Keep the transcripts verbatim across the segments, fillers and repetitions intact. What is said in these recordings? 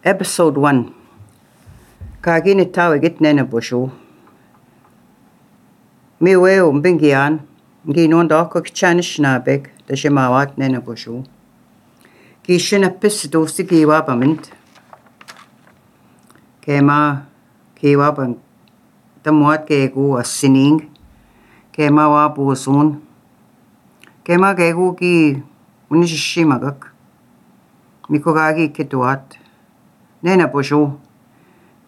Episode one. Kagini tawagit nena bushu. Mi weo mbingian. Ngi nonda ko kchanish nabek da shemawat nena bushu. Ki shina pis dosi ki wabamint. Kema ki wabam tamwat kegu asining. Kema wabu sun. Kema kegu ki unishimagak. Miko gagi kituat. Nena bushu.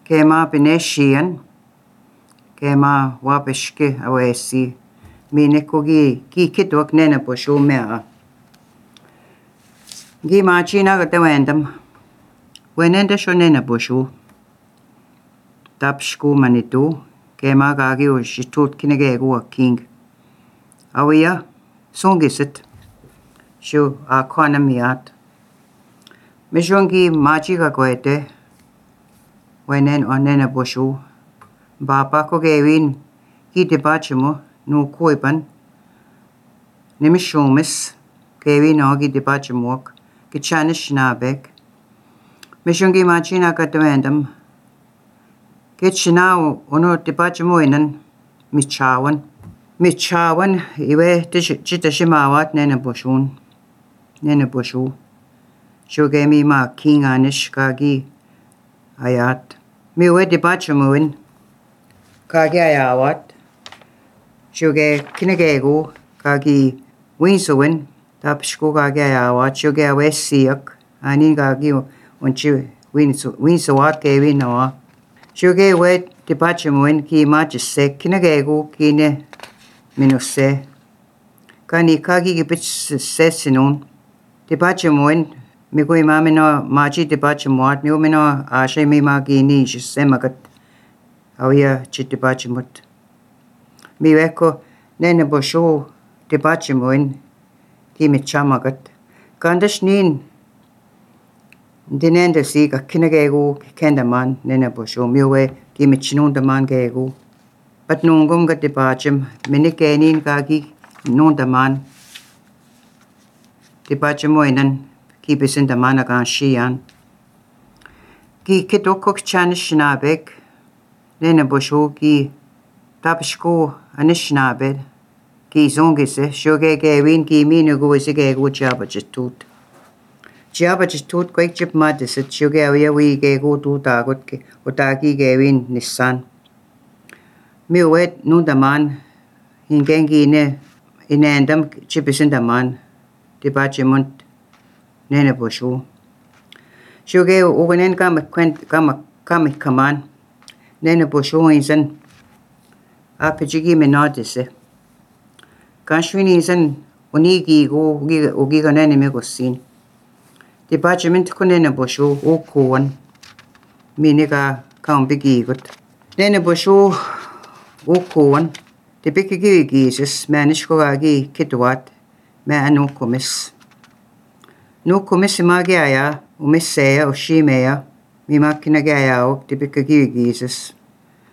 Kema bineshian. Kema wabishke awesi. Mineko gi ki kituak nena bushu mea. Gi machina gata wendam. Wenenda sho nena bushu. Tapshku manitu. Kema gagi o shitut kinegegu a king. Awia songisit. Shu a kwana miat. Mishongi machi ka koete. Wenen o nena bushu. Bapa ko gewin ki debachimo no koipan. Nimishomis gewin o ki debachimok. Ki chanish nabek. Mishongi machi na katawendam. Ki chinao ono debachimo inan. Michawan. Michawan iwe chitashimawat nena bushun. Nena bushu. Shugemi ma king anish kagi ayat. Miwe debachamuin kagi ayawat. Shuge kinegegu kagi winsuin. Tapshku kagi ayawat. Shuge awesiak. Anin kagi unchi winsuat kevi noa. Shuge we debachamuin ki machise kinegegu kine minuse. Kani kagi gibich sesinun. Debachamuin Miko imamino machi debachimwat mi umino ashe mi magini semagat awia chitibachimut. Mi weko nene bosho debachimoin ki michamagat. Kandash nin dinenda siga kinagegu kendaman nene bosho miwe ki michinundaman gegu. But nungum gat debachim minikenin kagi nundaman debachimoinan ki bisin da mana gan shian. Ki kitokok chanish nabek. Nena bushu ki tapshko anish nabed. Ki zongise shoge gewin ki minugu is a gegu jabajitut. Jabajitut quake chip madisit shoge awia we gegu tu tagut ki utaki gewin nissan. Miwet nundaman hingengi ne inendam chipisin daman. Dibachimunt nena bushu. Shuge uganen kama kwent kama kama kaman. Nena bushu insan apijigi menadise. Kanshwini insan unigi go ugi ugi ganene megosin. Department ko nena bushu ukuwan. Miniga kambigi gut. Nena bushu ukuwan. Debikigi gises manish ko agi kitwat me anu komis. No komisi magaya, umisseya, o shimeya, mi makina gaya o tipika gigises.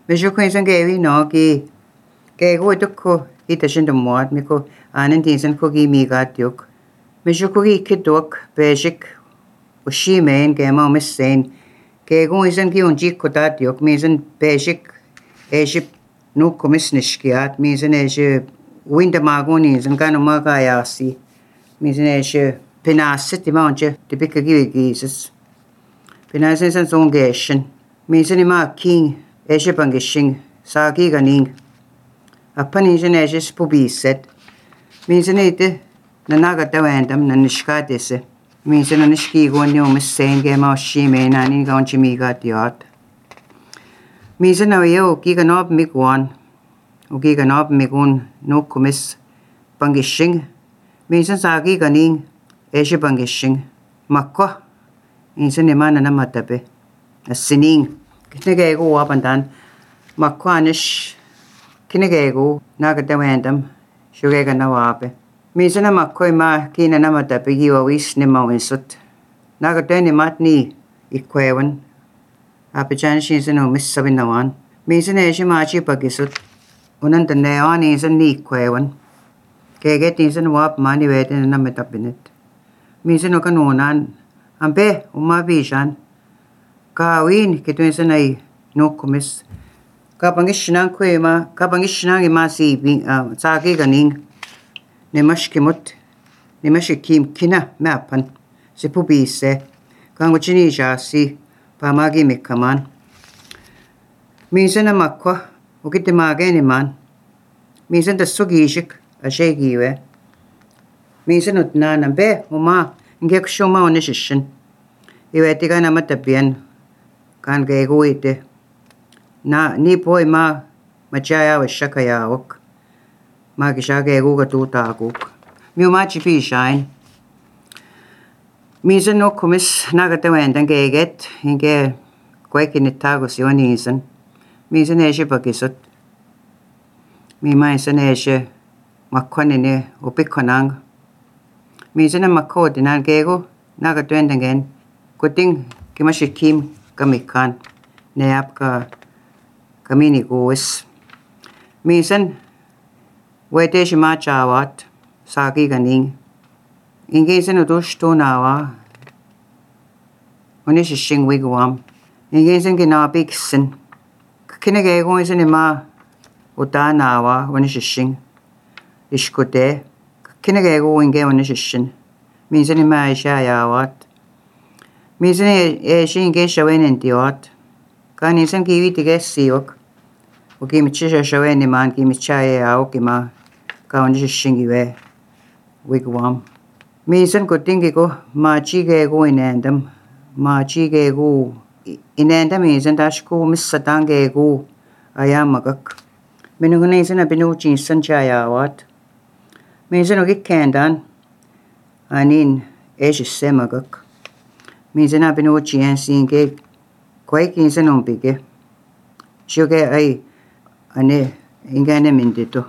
Mesho kwensan gewi no gi gego dukko itashinda muad miko anan tinsan ko gi migatyok. Mesho ko gi kidok bejik o shimein gema umissein. Gego isan gi unji kodatyok misan bejik ejip no komis nishkiat misan eje winda magoni isan gano magaya si. Misan eje Pinasit imanche de bicka givigises. Pinasin san zongeshin. Misan ima king eshipangishin sagi ganing. Apanishin eshis pubiset. Misan ite nanaga dawandam nanishkadese. Misan nanishki gonyumis senge ma shime nani ganchimiga diot. Misan awyo giganob migwan. Ugiganob migun no kumis bangishin. Misan sagi ganing. Eshe bangishing. Makwa. Insan imana na matabe. Asining. Kinagego wabandan. Makwa anish. Kinagego. Nagadawandam. Shugega na wabe. Minsan na makwa ima kina na matabe. Giwawis ni mawinsut. Nagadawani matni. Ikwewan. Apijan shinsan umis sabinawan. Minsan eshe machi pagisut. Unanda neon insan ni ikwewan. Keget insan wap mani weten na matabinet. Minsan o kanunan, ampe umabisan, Kawin kituinsan ay nukumis. Kapangishinang kuima, kapangishinang imasi sagi ganing. Nemashkimut, nemashikim kina mapan. Si pubise, kanguchini jasi, pamagi mikaman. Minsan na makwa, ukitimagay man. Minsan da sugishik, ashegiwe. Minsan utnanan be, uma, ngek shuma onishishin. Iwe tiga na matapian, kan gego ite. Na ni poi ma machaya wa shakaya wak. Ma kisha gego ga tuta aguk. Miu ma chipi shain. Minsan no kumis nagatawendan geget, inge kwekin itagos yon insan. Minsan eshe pakisot. Mi mainsan eshe makwanine upikonang. Minsan na makodinan gego nagatawendan gen. Kuting kimashikim kamikan. Neap ka kamini goes. Minsan wete shima chawat sagi ganing. Ingesan udushto nawa. Unishishing wigwam. Ingesan ginabiksin. Kinagego isan ima uta nawa unishishing. Ishkude. Kinagego inge unishishin. Minsan ima ishayawat. Minsan eshe inge shawen intiwat. Kan insan kiwi tige siwak. Ukimichisha shawen iman kimichaye awak ima. Ka unishishin iwe wigwam. Minsan kutingi ko machi gego inendam. Machi gego inendam minsan tashko misatang gego ayamagak. Minungan insan abinuchi insan chayawat. Minsan ukikendan anin eshisemagak. Minsan abinuchi insan ke kwek insan umpige. Shuge ay ane ingane mindito.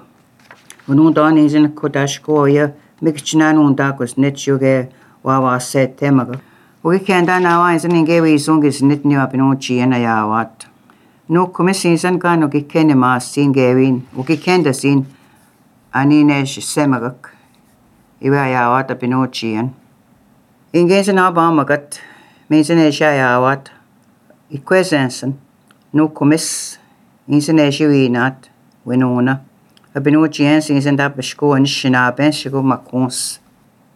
Unundan insan kodashko ya mikchinan undakos net shuge wawa set temaga. Uki kenda nawa insan ingewe isungis net niwa pinuchi ena yawat. No kumis insan kan uki kene maas sin gewin. Uki kenda sin aninesh semagak. Iwe yawat a pinuchi en. Ingensan abamagat. Minsan esha yawat. Ikwesensan. No kumis insan esha winat. Winuna. Abinuchi en insan tapashko an shinaben shigo makons.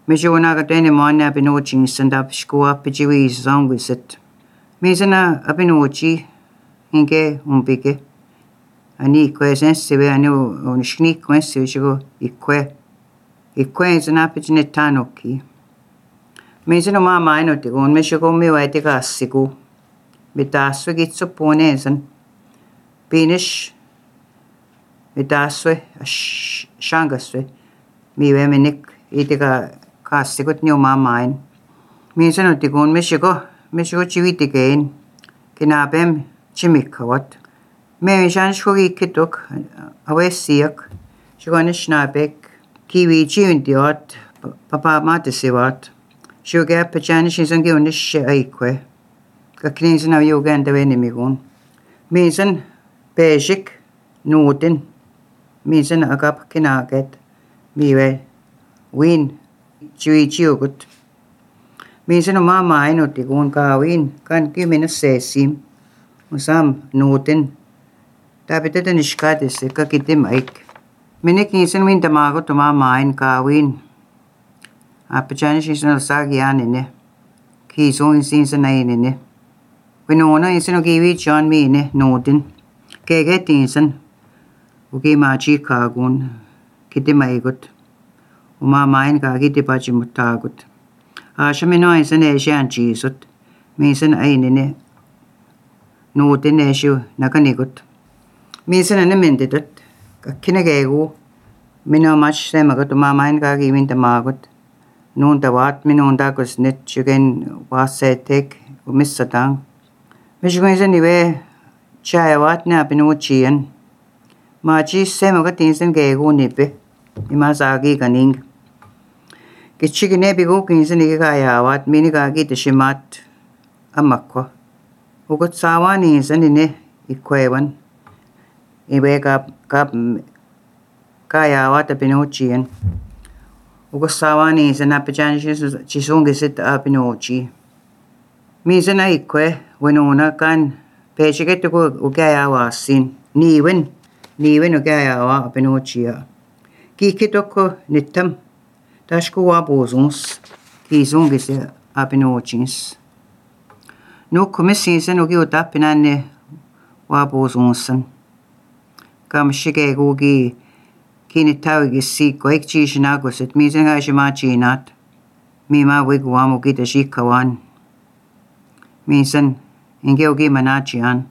Mijuna gatene mone abinuchi insan tapashko apijiwi zangwisit. Minsan abinuchi inge umpike. Ani ikwe sensive ani unishni kwensive shigo ikwe. Ikwe insan apijine tanoki. Minsan umama ino tigun mishigo miwa tiga asigu. Mitaswe gitso pone insan. Pinish mitaswe shangaswe miwe minik itiga kasikot ni umamain. Minsan utigun mishigo mishigo chiwitigain kinabem chimikawat. Me shan shkogi kitok awe siyak shigone shnabek kiwi chiwintiwat papa matisiwat shuge pachanish insan giunish aikwe kakninsan av yuganda venimigun. Minsan basic nutin. Minsan agap kinaget. Miwe win chui chiugut. Minsan umama ino tigun ka win kan kiminus sesim. Usam nutin. Tapitata nishkatis kakitim aik. Minik insan win tamagot umama in ka win. Apachanish insan sagyan ine. Kiso insan na inine. Winona insan ugiwi chan mi ine nutin. Keget insan. Uki machi kagun. Kiti maigut. Umamain ka kiti pachi mutagut. Ashamino insan eshan chisut. Minsan ainine. Nutin eshu nakanigut. Minsan animinditut. Kakinagegu. Mino mach semagut umamain ka kiwin tamagut. Noon tawat minunda kusnit shugen wasetek umisatang. Mishugun insan iwe chayawat na pinuchiyan. Machi semagat insan gego nipe. Imasagi kaning. Kichigine bigo kinsan ikayawat minigagi tishimat amakwa. Ugot sawan insan ine ikwewan. Iwe kap kap kayawat pinuchiyan. Ugot sawan insan apichan chisungisit apinuchi. Minsan aikwe winona kan pechigetuko ugayawa sin niwen niwen ugayawa apenochia kikitoko nitam tashko wabozuns kizungise apenochins no komissinsen ugi utapinanne wabozunsan kam shige gugi kinitawigi siko ekchishinagoset misenga shimachinat mima wigwam ugi tashikawan minsan inge ugi manachian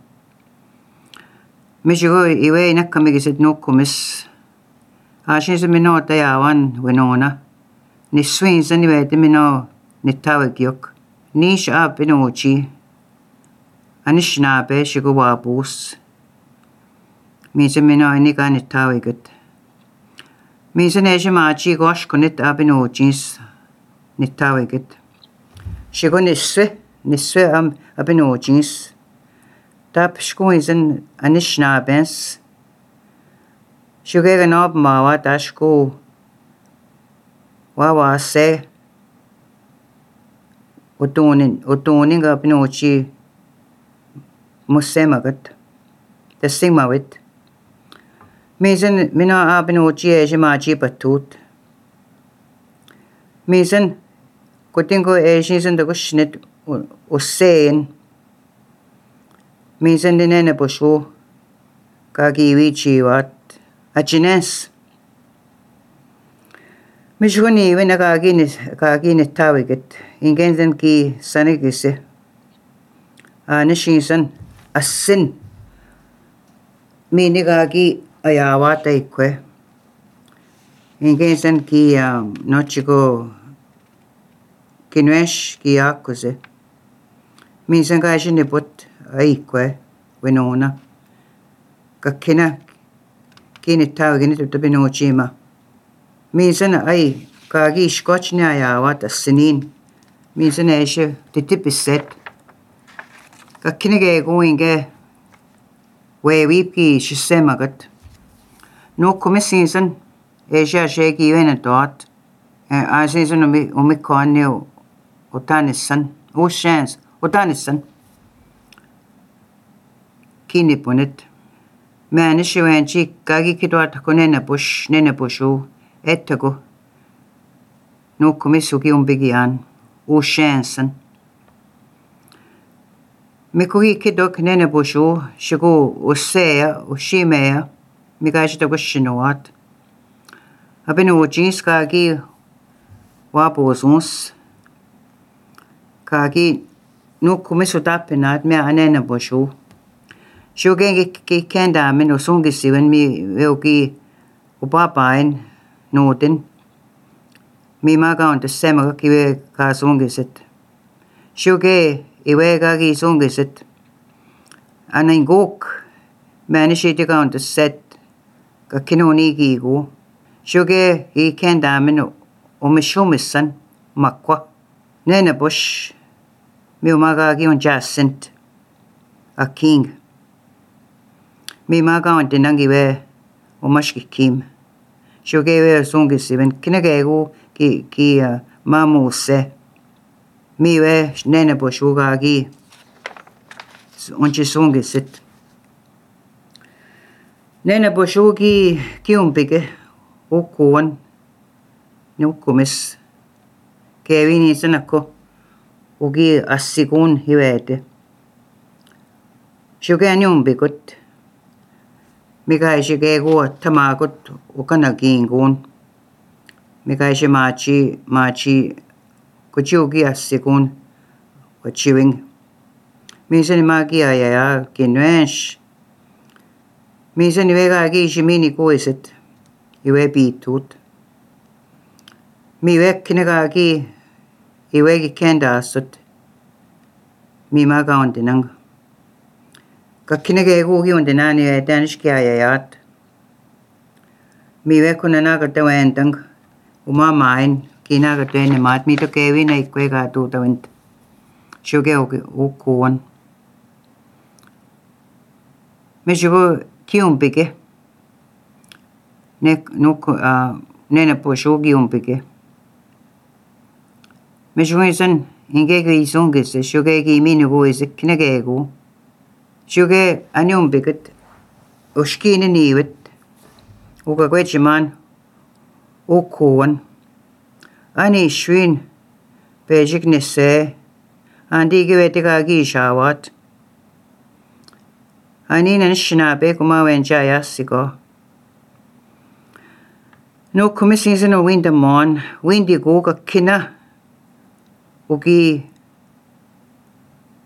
mishigo iwe nakamigiset no kumis ashinse mino tayawan winona niswinsan iwe timino nitawigyok nish apinochi anishnabe shigo wabus minsan mino inika nitawigot minsan eshimachi goshkunit apinochins nitawigot shigo niswe niswe am apinochins tap shkuinsan anishnabens shugega nob mawa tashku wawa se utunin utunin ga apinochi musemagat tasingmawit minsan mino apinochi eshimachi patut minsan kutingo eshinsan dagushnet usein minsan dinene bushu kagiwi chiwat achines mishuni wena kagini kagini tawiget ingenzen ki sanigise anishinsan asin mini kagi ayawata ikwe ingenzen ki nochigo kinwesh ki akuse minsan kashini put aikwe winona kakina kini tawagini tutabinochima minsan ay kagi ishkochni ayawat asinin minsan eshe titipiset kakina gego inge wewipki shisemagat no komisinsan eshe asheki wena dot asinsan umi umikone utanissan ushans utanissan kini punit Manish wenchi kagi kidwat konene bush nene bushu etago no komisugi umbigian u shansen mikugi kidok nene bushu shigo usea ushimea migashi to gushinoat abinu jeans kagi wabozuns kagi no komisu tapinat me anene bushu Shugengi ki kenda min usungi siwen mi weuki upapain notin. Mi maga on te sema ki we ka sungi sit. Shuge iwe ga ki sungi sit. Ana ingok manishi te ka on te set ka kinoni ki go. Shuge i kenda min umishumisan makwa. Nene bush mi umaga ki on jacint a king. Mi maga on tinangi we umashki kim. Shuge we sungi siben kinagego ki ki uh, mamu se. Mi we nene bushuga gi onchi sungi sit. Nene bushugi ki umpige ukuan nukumis. Kevini sanako ugi asigun hiwete. Shuge ani umbigut. Mikai shigego tamagut ukanagingun. Mikai shimachi machi kuchugi asigun wachiwing. Minsan magi ayaya kinwensh. Minsan iwega agi shimini kuisit. Iwe bitut. Miwe kinaga agi iwegi kenda asut. Mi maga ondinang. Kakinage gugi ondinani e danishki ayayat. Miwe kunanaga tawentang. Uma main kinaga tene mat mi to kewi na ikwega tu tawent. Shuge ukuan. Mishugo kiumpike. Ne nuku uh, nene po shugi umpike. Mishugo isan 인게그 이송게세 쇼게기 미누고이세 키네게고 쇼게 아니움비긋 오시키는 이윗 오가괴지만 오코원 아니 슈인 베직네세 안디게웨티가기 샤왓 아니는 시나베 구마웬자야시고 노 쿠미싱스는 윈드몬 윈디고가 키나 우기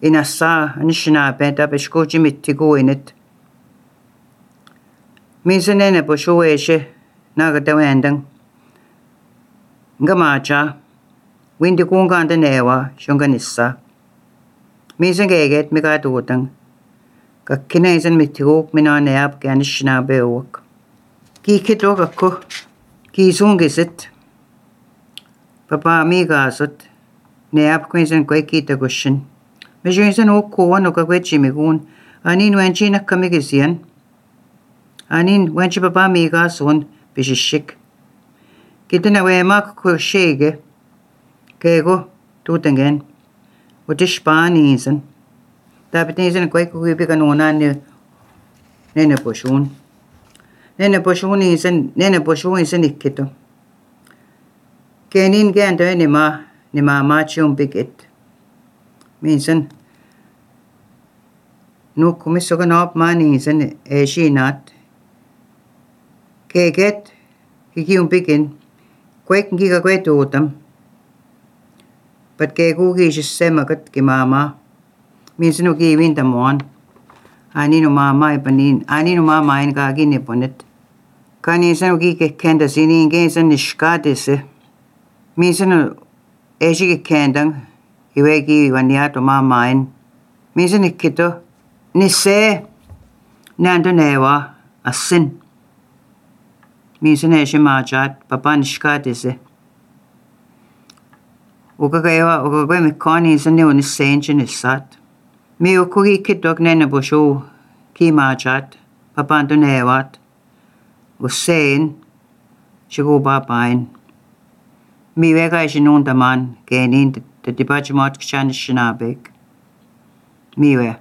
인아싸 안시나베 다베시고 지미티고 이넷 미스네네 보쇼웨시 나가다웬당 ngamacha windi kunganda newa shunganissa misengeget migadutang kakkinaisan mitiguk minanayap ganishna bewak kikidok ako kisungisit papa migasot nayap kwinsan kway kita gushin mejunsan ukkuwan ukagwechimigun anin wenchi nakkamigisian anin wenchi papa migasun bishishik kita na wemak ko shege kego tutengen utish panisen dapat nisen kway ko ibi kanuna ni nene poshun nene poshun nisen nene poshun nisen ikkito kenin gento ni ma ni ma machum biget minsen nu kumisogan op manisen e shinat keget kikium bigin kwek ngiga kwetutam pat ke kugi sema kat ki mama minsan ugi wintamon ani no mama ipanin ani no mama in ka gine ponet kani san ugi ke kenda sini ngensan nishkatese minsan eji ke kendang iwegi waniato mama in minsan ikito nisse nando newa asin minsan eji majat papa nishkatese ukagawa ukagwa mikoni zane unisenje nisat mi ukugi kidok nene bosho ki majat papa ndo newat usen shigo babain mi wega jinunda man genin de dibajmot kshan shinabek miwe